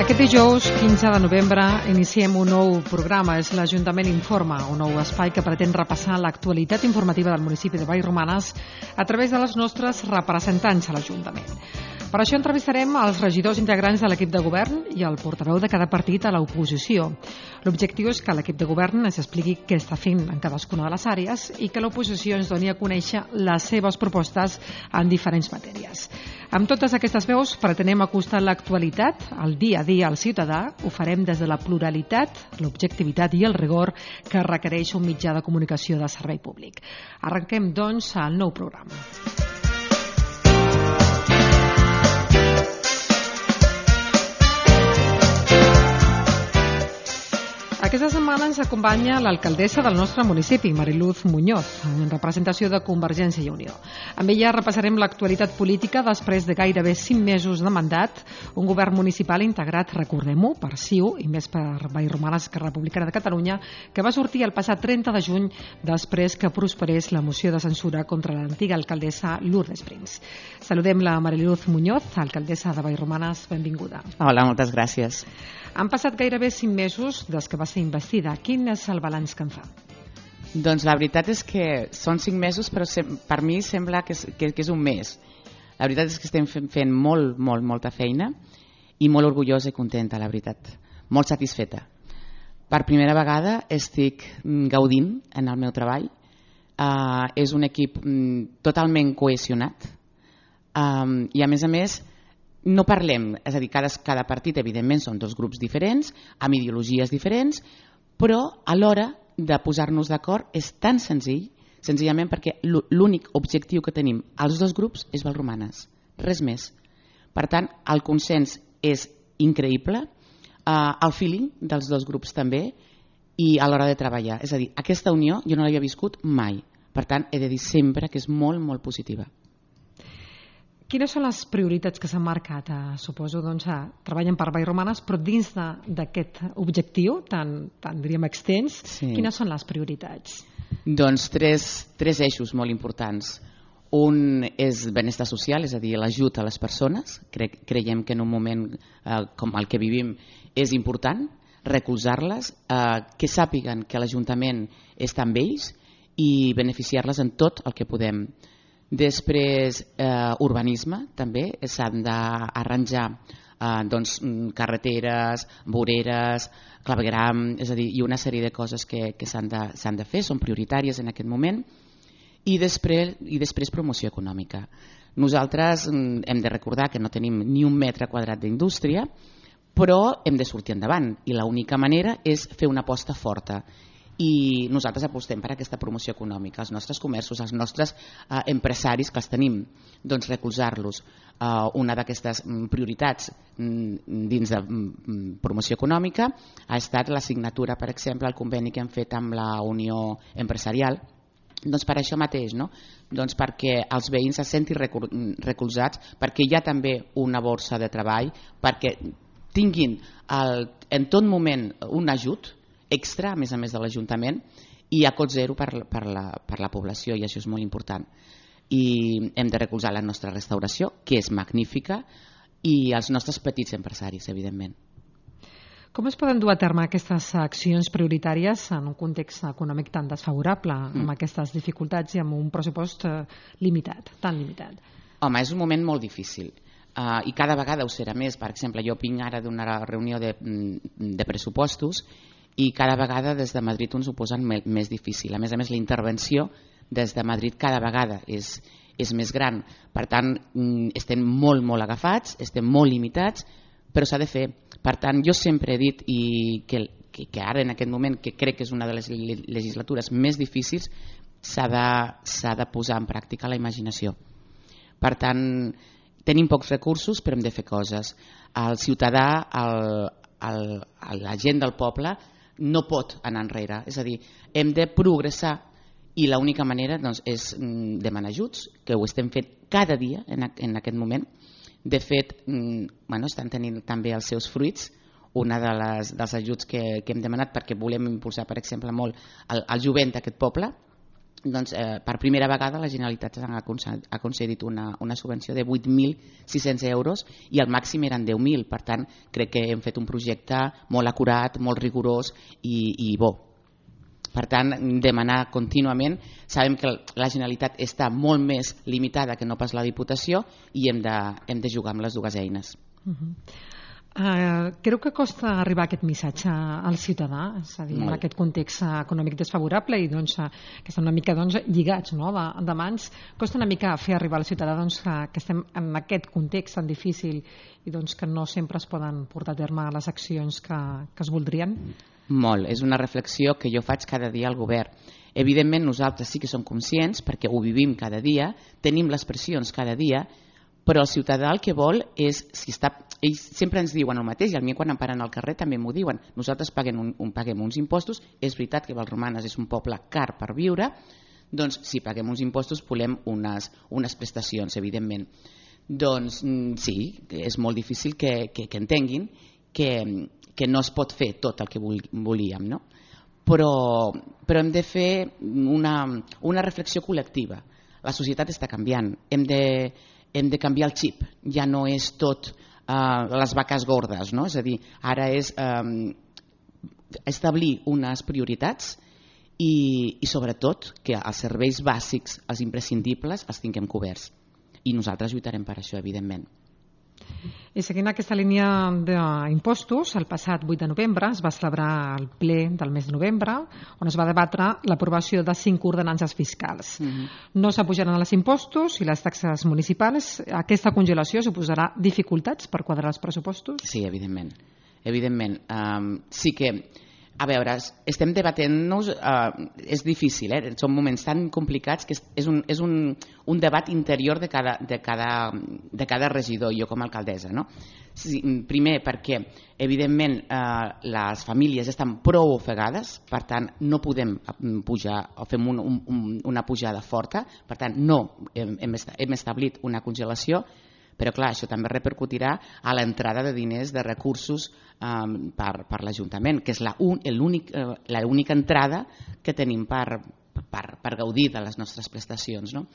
Aquest dijous, 15 de novembre, iniciem un nou programa. És l'Ajuntament Informa, un nou espai que pretén repassar l'actualitat informativa del municipi de Vallromanes a través de les nostres representants a l'Ajuntament. Per això entrevistarem els regidors integrants de l'equip de govern i el portaveu de cada partit a l'oposició. L'objectiu és que l'equip de govern ens expliqui què està fent en cadascuna de les àrees i que l'oposició ens doni a conèixer les seves propostes en diferents matèries. Amb totes aquestes veus pretenem acostar l'actualitat, el dia a dia al ciutadà. Ho farem des de la pluralitat, l'objectivitat i el rigor que requereix un mitjà de comunicació de servei públic. Arrenquem, doncs, el nou programa. Aquesta setmana ens acompanya l'alcaldessa del nostre municipi, Mariluz Muñoz, en representació de Convergència i Unió. Amb ella repassarem l'actualitat política després de gairebé 5 mesos de mandat, un govern municipal integrat, recordem-ho, per CiU i més per Vallromanes, Esquerra Republicana de Catalunya, que va sortir el passat 30 de juny després que prosperés la moció de censura contra l'antiga alcaldessa Lourdes Brins. Saludem la Mariluz Muñoz, alcaldessa de Vallromanes, benvinguda. Hola, moltes gràcies. Han passat gairebé 5 mesos des que va ser investida. Quin és el balanç que en fa? Doncs la veritat és que són 5 mesos, però per mi sembla que és un mes. La veritat és que estem fent molta feina i molt orgullosa i contenta, la veritat. Molt satisfeta. Per primera vegada estic gaudint en el meu treball. És un equip totalment cohesionat i a més no parlem, és a dir, cada partit evidentment són 2 grups diferents, amb ideologies diferents, però a l'hora de posar-nos d'acord és tan senzill, senzillament perquè l'únic objectiu que tenim els 2 grups és Vallromanes, res més. Per tant, el consens és increïble, el feeling dels 2 grups també, i a l'hora de treballar. És a dir, aquesta unió jo no l'havia viscut mai, per tant he de dir sempre que és molt positiva. Quines són les prioritats que s'han marcat? Suposo, doncs, treballen per Vallromanes, però dins d'aquest objectiu tan diríem extens, sí. Quines són les prioritats? Doncs tres eixos molt importants. Un és benestar social, és a dir, l'ajut a les persones. Creiem que en un moment com el que vivim és important recolzar-les, que sàpiguen que l'Ajuntament està amb ells i beneficiar-les en tot el que podem. Després, urbanisme, també. S'han d'arranjar carreteres, voreres, clavegueram, és a dir, i una sèrie de coses que s'han de fer, són prioritàries en aquest moment. I després promoció econòmica. Nosaltres hem de recordar que no tenim ni 1 metre quadrat d'indústria, però hem de sortir endavant i l'única manera és fer una aposta forta. I nosaltres apostem per aquesta promoció econòmica, els nostres comerços, els nostres empresaris que els tenim, doncs recolzar-los. Una d'aquestes prioritats dins de promoció econòmica ha estat la signatura, per exemple, el conveni que hem fet amb la Unió Empresarial, doncs per això mateix, no? Doncs perquè els veïns se sentin recolzats, perquè hi ha també una borsa de treball, perquè tinguin en tot moment un ajut extra, a més de l'Ajuntament, i a cost zero per la població, i això és molt important. I hem de recolzar la nostra restauració, que és magnífica, i els nostres petits empresaris, evidentment. Com es poden dur a terme aquestes accions prioritàries en un context econòmic tan desfavorable, amb aquestes dificultats i amb un pressupost limitat, tan limitat? Home, és un moment molt difícil. I cada vegada ho serà més. Per exemple, jo vinc ara d'una reunió de pressupostos i cada vegada des de Madrid ens ho posen més difícil. A més, la intervenció des de Madrid cada vegada és més gran. Per tant, estem molt agafats, estem molt limitats, però s'ha de fer. Per tant, jo sempre he dit que ara en aquest moment, que crec que és una de les legislatures més difícils, s'ha de posar en pràctica la imaginació. Per tant, tenim pocs recursos, però hem de fer coses. El ciutadà, la gent del poble, no pot anar enrere, és a dir, hem de progressar i l'única manera és demanar ajuts, que ho estem fent cada dia en aquest moment. De fet, estan tenint també els seus fruits. Una dels ajuts que hem demanat, perquè volem impulsar, per exemple, molt el jovent d'aquest poble, doncs, per primera vegada la Generalitat ha concedit una subvenció de 8.600 euros i el màxim eren 10.000. Per tant, crec que hem fet un projecte molt acurat, molt rigorós i bo. Per tant, demanar contínuament. Sabem que la Generalitat està molt més limitada que no pas la Diputació i hem de jugar amb les dues eines. Creu que costa arribar aquest missatge al ciutadà, és a dir, en aquest context econòmic desfavorable i que estan una mica lligats de mans, costa una mica fer arribar al ciutadà que estem en aquest context tan difícil i que no sempre es poden portar a terme les accions que es voldrien? Molt, és una reflexió que jo faig cada dia al govern. Evidentment nosaltres sí que som conscients perquè ho vivim cada dia, tenim les pressions cada dia, però el ciutadà el que vol és, ells sempre ens diuen el mateix i a mi quan em paren al carrer també m'ho diuen, nosaltres paguem uns impostos, és veritat que Vallromanes és un poble car per viure, doncs si paguem uns impostos volem unes prestacions, evidentment. Doncs sí, és molt difícil que entenguin que no es pot fer tot el que volíem, no? Però hem de fer una reflexió col·lectiva. La societat està canviant, hem de canviar el xip, ja no és tot les vaques gordes, no? És a dir, ara és establir unes prioritats i sobretot que els serveis bàsics, els imprescindibles, els tinguem coberts. I nosaltres lluitarem per això, evidentment. I seguint aquesta línia d'impostos, el passat 8 de novembre es va celebrar el ple del mes de novembre on es va debatre l'aprovació de 5 ordenances fiscals. No s'apujaran els impostos i les taxes municipals. Aquesta congelació suposarà dificultats per quadrar els pressupostos? Sí, evidentment. Sí que, a veure, estem debatent-nos, és difícil, són moments tan complicats que és un debat interior de cada regidor, jo com a alcaldessa, no? Primer perquè evidentment les famílies estan prou ofegades, per tant no podem pujar o fem una pujada forta, per tant no hem establit una congelació, però clar, això també repercutirà a l'entrada de diners, de recursos per l'Ajuntament, que és l'única entrada que tenim per gaudir de les nostres prestacions, no?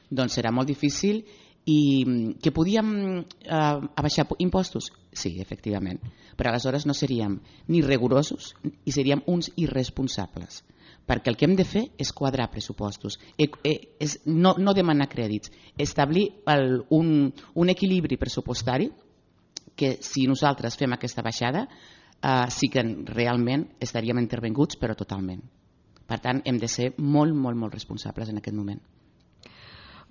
Doncs serà molt difícil. I que podíem abaixar impostos? Sí, efectivament, però aleshores no seríem ni rigorosos i seríem uns irresponsables, perquè el que hem de fer és quadrar pressupostos, no demanar crèdits, establir un equilibri pressupostari que si nosaltres fem aquesta baixada sí que realment estaríem intervenguts, però totalment. Per tant, hem de ser molt, molt, molt responsables en aquest moment.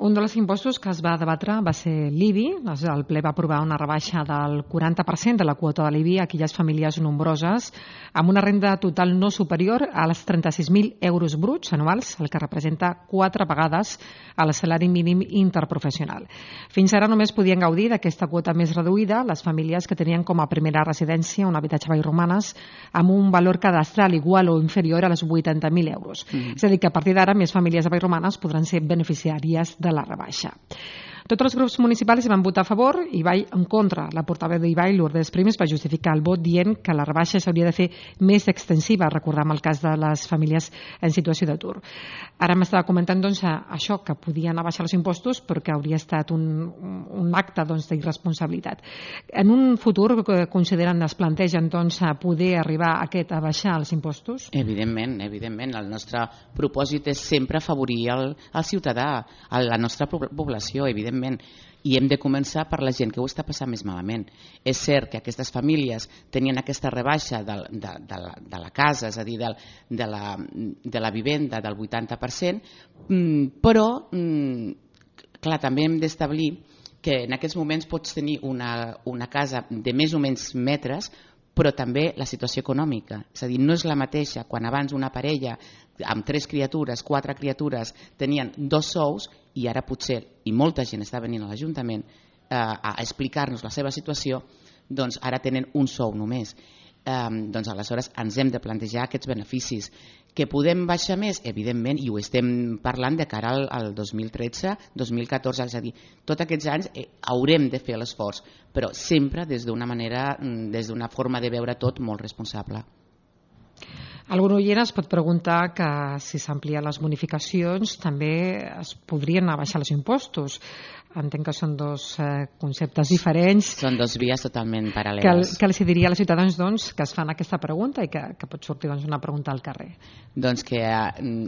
Un dels impostos que es va debatre va ser l'IBI. El ple va aprovar una rebaixa del 40% de la quota de l'IBI a aquelles famílies nombroses amb una renda total no superior als 36.000 euros bruts anuals, el que representa 4 vegades el salari mínim interprofessional. Fins ara només podien gaudir d'aquesta quota més reduïda les famílies que tenien com a primera residència un habitatge a Vallromanes amb un valor cadastral igual o inferior als 80.000 euros. És a dir, que a partir d'ara més famílies a Vallromanes podran ser beneficiàries de la rebaixa. Tots els grups municipals hi van votar a favor i Ibai en contra. La portaveu d'Ibai, Lourdes Primes, va justificar el vot dient que la rebaixa s'hauria de fer més extensiva, recordem el cas de les famílies en situació d'atur. Ara m'estava comentant això, que podien abaixar els impostos però que hauria estat un acte d'irresponsabilitat. En un futur consideren, es plantegen poder arribar a baixar els impostos? Evidentment. El nostre propòsit és sempre afavorir el ciutadà, la nostra població, evidentment. I hem de començar per la gent que ho està passant més malament. És cert que aquestes famílies tenien aquesta rebaixa de la casa, és a dir, de la vivenda del 80%, però clar, també hem d'establir que en aquests moments pots tenir una casa de més o menys metres, però també la situació econòmica. És a dir, no és la mateixa quan abans una parella amb 3 criatures, 4 criatures tenien 2 sous i ara potser, i molta gent està venint a l'Ajuntament a explicar-nos la seva situació, doncs ara tenen un sou només. Doncs aleshores ens hem de plantejar aquests beneficis. Que podem baixar més? Evidentment, i ho estem parlant de cara al 2013, 2014, és a dir, tots aquests anys haurem de fer l'esforç, però sempre des d'una forma de veure tot molt responsable. Algun oient es pot preguntar que si s'amplien les bonificacions també es podrien abaixar els impostos. Entenc que són dos conceptes diferents. Són dos vies totalment paral·leles. Què els diria als ciutadans que es fan aquesta pregunta i que pot sortir una pregunta al carrer? Doncs que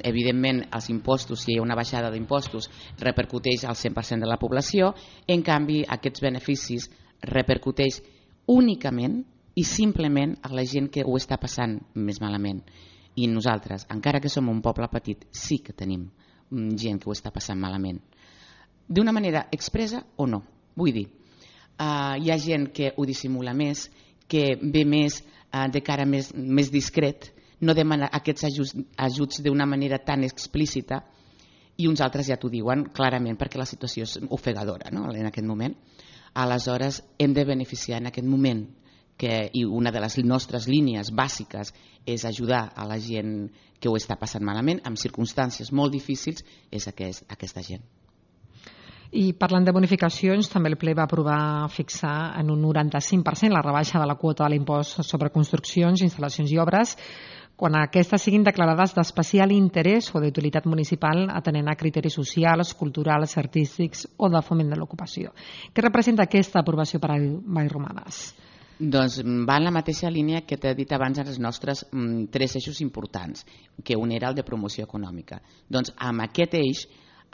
evidentment els impostos, si hi ha una baixada d'impostos, repercuteix al 100% de la població, en canvi aquests beneficis repercuteix únicament i simplement a la gent que ho està passant més malament. I nosaltres, encara que som un poble petit, sí que tenim gent que ho està passant malament. D'una manera expressa o no. Vull dir, hi ha gent que ho dissimula més, que ve més de cara més discret, no demana aquests ajuts d'una manera tan explícita, i uns altres ja t'ho diuen clarament perquè la situació és ofegadora, no? En aquest moment. Aleshores hem de beneficiar en aquest moment, i una de les nostres línies bàsiques és ajudar a la gent que ho està passant malament, en circumstàncies molt difícils, és aquesta gent. I parlant de bonificacions, també el ple va aprovar fixar en un 95% la rebaixa de la quota de l'impost sobre construccions, instal·lacions i obres, quan aquestes siguin declarades d'especial interès o d'utilitat municipal atenent a criteris socials, culturals, artístics o de foment de l'ocupació. Què representa aquesta aprovació per a Vallromanes? Doncs va en la mateixa línia que t'he dit abans en els nostres 3 eixos importants, que un era el de promoció econòmica. Doncs amb aquest eix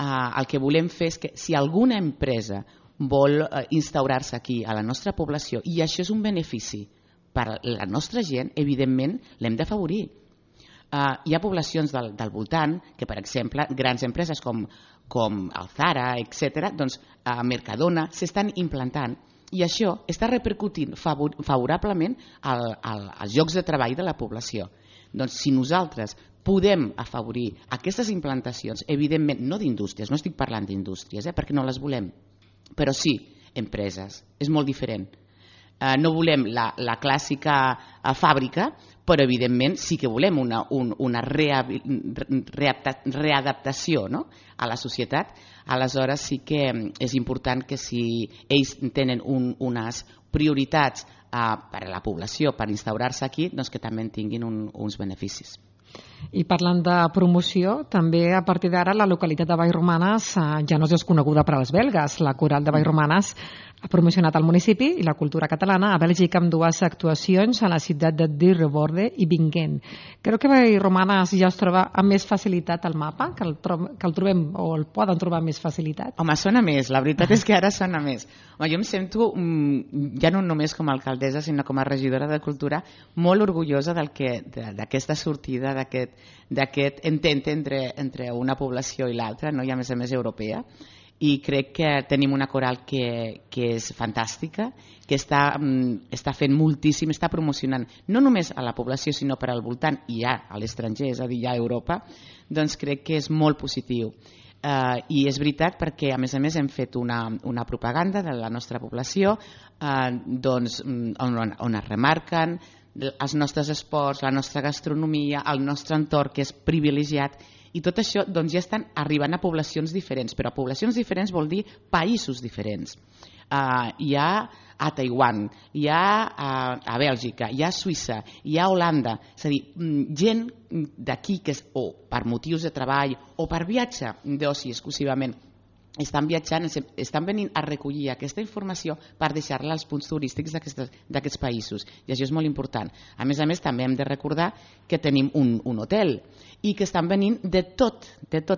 el que volem fer és que si alguna empresa vol instaurar-se aquí a la nostra població i això és un benefici per a la nostra gent, evidentment l'hem d'afavorir. Hi ha poblacions del voltant que, per exemple, grans empreses com el Zara, etc., doncs a Mercadona s'estan implantant i això està repercutint favorablement als llocs de treball de la població. Doncs si nosaltres podem afavorir aquestes implantacions, evidentment no d'indústries, no estic parlant d'indústries, perquè no les volem, però sí empreses, és molt diferent. No volem la clàssica fàbrica, però evidentment sí que volem una readaptació, no?, a la societat. Aleshores sí que és important que si ells tenen unes prioritats per a la població per instaurar-se aquí, doncs que també en tinguin uns beneficis. I parlant de promoció, també a partir d'ara la localitat de Vallromanes ja no és desconeguda per als belgues. La Coral de Vallromanes ha promocionat el municipi i la cultura catalana a Bèlgica amb 2 actuacions a la ciutat de Dierborde i Bingen. Creu que Vallromanes ja es troba amb més facilitat al mapa, que el trobem o el poden trobar amb més facilitat? Home, sona més, la veritat és que ara sona més. Jo em sento, ja no només com a alcaldessa, sinó com a regidora de cultura, molt orgullosa d'aquesta sortida, d'aquest intent entre una població i l'altra, no? I a més europea. I crec que tenim una coral que és fantàstica, que està fent moltíssim, està promocionant no només a la població sinó per al voltant i ja a l'estranger, és a dir, ja a Europa, doncs crec que és molt positiu. I és veritat perquè a més hem fet una propaganda de la nostra població on es remarquen els nostres esports, la nostra gastronomia, el nostre entorn que és privilegiat. I tot això doncs, ja estan arribant a poblacions diferents, però a poblacions diferents vol dir països diferents. Hi ha a Taiwan, hi ha a Bèlgica, hi ha a Suïssa, hi ha a Holanda, és a dir, gent d'aquí que o per motius de treball o per viatge d'oci exclusivament estan viatjant, estan venint a recollir aquesta informació per deixar-la als punts turístics d'aquests països, i això és molt important. A més, també hem de recordar que tenim un hotel i que estan venint de tot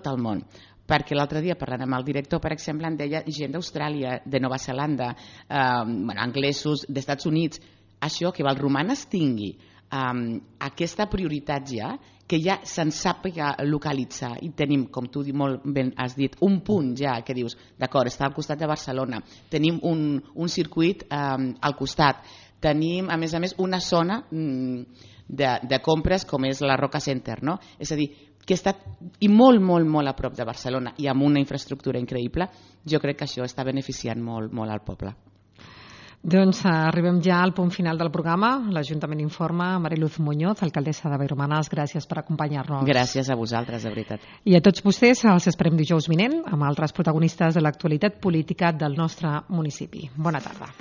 el món, perquè l'altre dia parlant amb el director, per exemple, em deia gent d'Austràlia, de Nova Zelanda, anglesos, d'Estats Units. Això, que Vallromanes tingui aquesta prioritat ja, que ja se'n sàpiga localitzar, i tenim, com tu molt ben has dit, un punt ja que dius, d'acord, està al costat de Barcelona, tenim un circuit al costat, tenim a més una zona de compres com és la Roca Center, no? És a dir, que està i molt a prop de Barcelona i amb una infraestructura increïble. Jo crec que això està beneficiant molt al poble. Doncs arribem ja al punt final del programa. L'Ajuntament informa. Mariluz Muñoz, alcaldessa de Vallromanes, gràcies per acompanyar-nos. Gràcies a vosaltres, de veritat. I a tots vostès els esperem dijous vinent amb altres protagonistes de l'actualitat política del nostre municipi. Bona tarda.